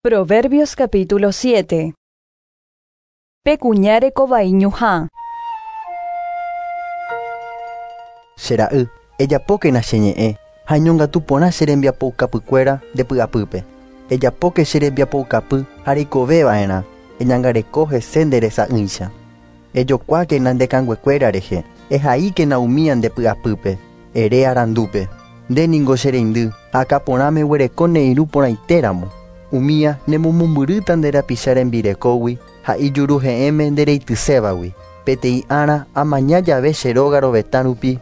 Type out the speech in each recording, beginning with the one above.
Proverbios capítulo 7. Pe kuña reko vai ñuhã. Che ra'y, ejapókena che ñe'ẽ ha eñongatu porã che rembiapoukapykuéra nde py'apýpe. Ejapóke che rembiapoukapy ha reikove va'erã, eñangareko hese nde resa'ỹicha. Ejokuákena nde kanguekuéra rehe, ehaíkena umía nde py'apýpe, ere arandúpe, Nde ningo che reindy, ha akã porãme eguereko ne irũ porãitéramo. Umía nemomombyrýta nde rapicha rembirekógui ha ijuru he'ẽme nde reitysévagui. Peteĩ ára amaña jave che róga rovetã rupi,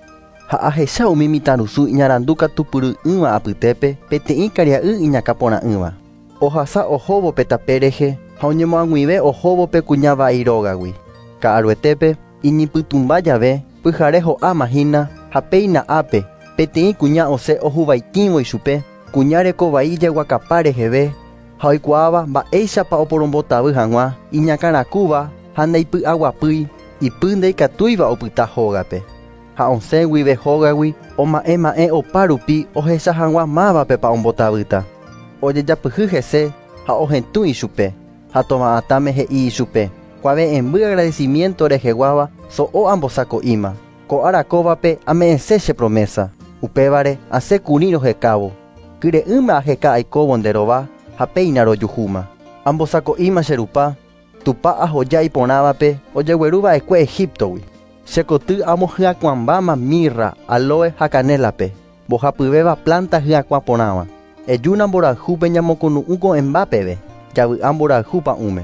ha ahecha umi mitãrusu iñarandu katupyry'ỹva apytépe peteĩ karia'y iñakã porã'ỹva. Ohasa ohóvo pe tape rehe ha oñemoag̃uive ohóvo pe kuña vai rógagui. Ka'aruetépe, iñipytũmba jave, pyhare ho'áma hína ha péina ápe, peteĩ kuña osẽ ohuvaitĩvo ichupe, kuña reko vai ijeguakapa reheve ha oikuaáva mba'éichapa oporombotavy hag̃ua, iñakãrakúva ha ndaipy'aguapýi, ipy ndaikatúiva opyta hógape. Ha osẽ guive hógagui oma'ẽ ma'ẽ opa rupi ohecha hag̃ua mávapepa ombotavýta. Ojejapyhy hese ha ohetũ ichupe, ha tova'atãme he'i ichupe, Kuave'ẽmby agradecimiento reheguáva so'o ambosako'íma. Ko ára kóvape ame'ẽse che promesa, upévare asẽ kurĩ rohekávo. Kyre'ỹma aheka aikóvo nde rova ha péina rojuhúma. Ambosako'íma che rupa, Tupã ahoja iporãvape ojegueru va'ekue Egíptogui. Che koty amohyakuãmbáma mírra, aloe ha kanélape, mbohapyvéva plánta hyakuã porãva. Ejúna mborayhúpe ñamokunu'ũ ko'ẽmba peve, javy'a mborayhu pa'ũme.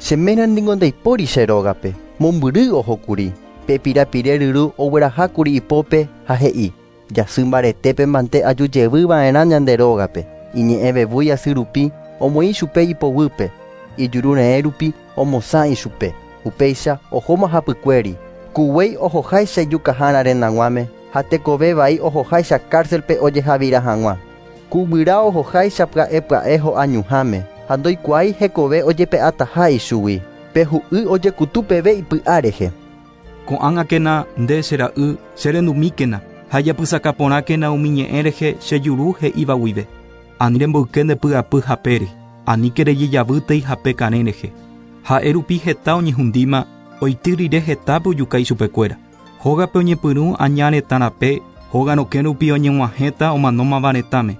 Che ména ningo ndaipóri che rógape, mombyry oho kuri. Pe pirapire ryru ogueraha kuri ipópe ha he'i, Jasy mbaretépe mante aju jevy va'erã ñande rógape. Iñe'ẽ vevúi asy rupi omoĩ ichupe ipoguýpe, ijuru re'ẽ rupi omosã ichupe. Upéicha ohóma hapykuéri, ku guéi ohoháicha ijukahára rendaguãme ha tekove vai ohoháicha kárselpe ojehavira hag̃ua. Ku guyra ohoháicha pya'e pya'e ho'a ñuhãme ha ndoikuaái hekove ojepe'ataha ichugui, pe hu'y ojekutu peve ipy'a rehe. Ko'ág̃akena, nde, che ra'y, che rendumíkena, ha ejapysaka porãkena umi ñe'ẽ rehe che juru he'íva guive. Ani remboyke nde py'apy hapére, aníke rejejavýtei hape karẽ rehe. Ha'e rupi heta oñehundíma, oity rire hetápe ojuka ichupekuéra. Hógape oñepyrũ aña retã rape, hóga rokẽ rupi oñeg̃uahẽta omanómava retãme.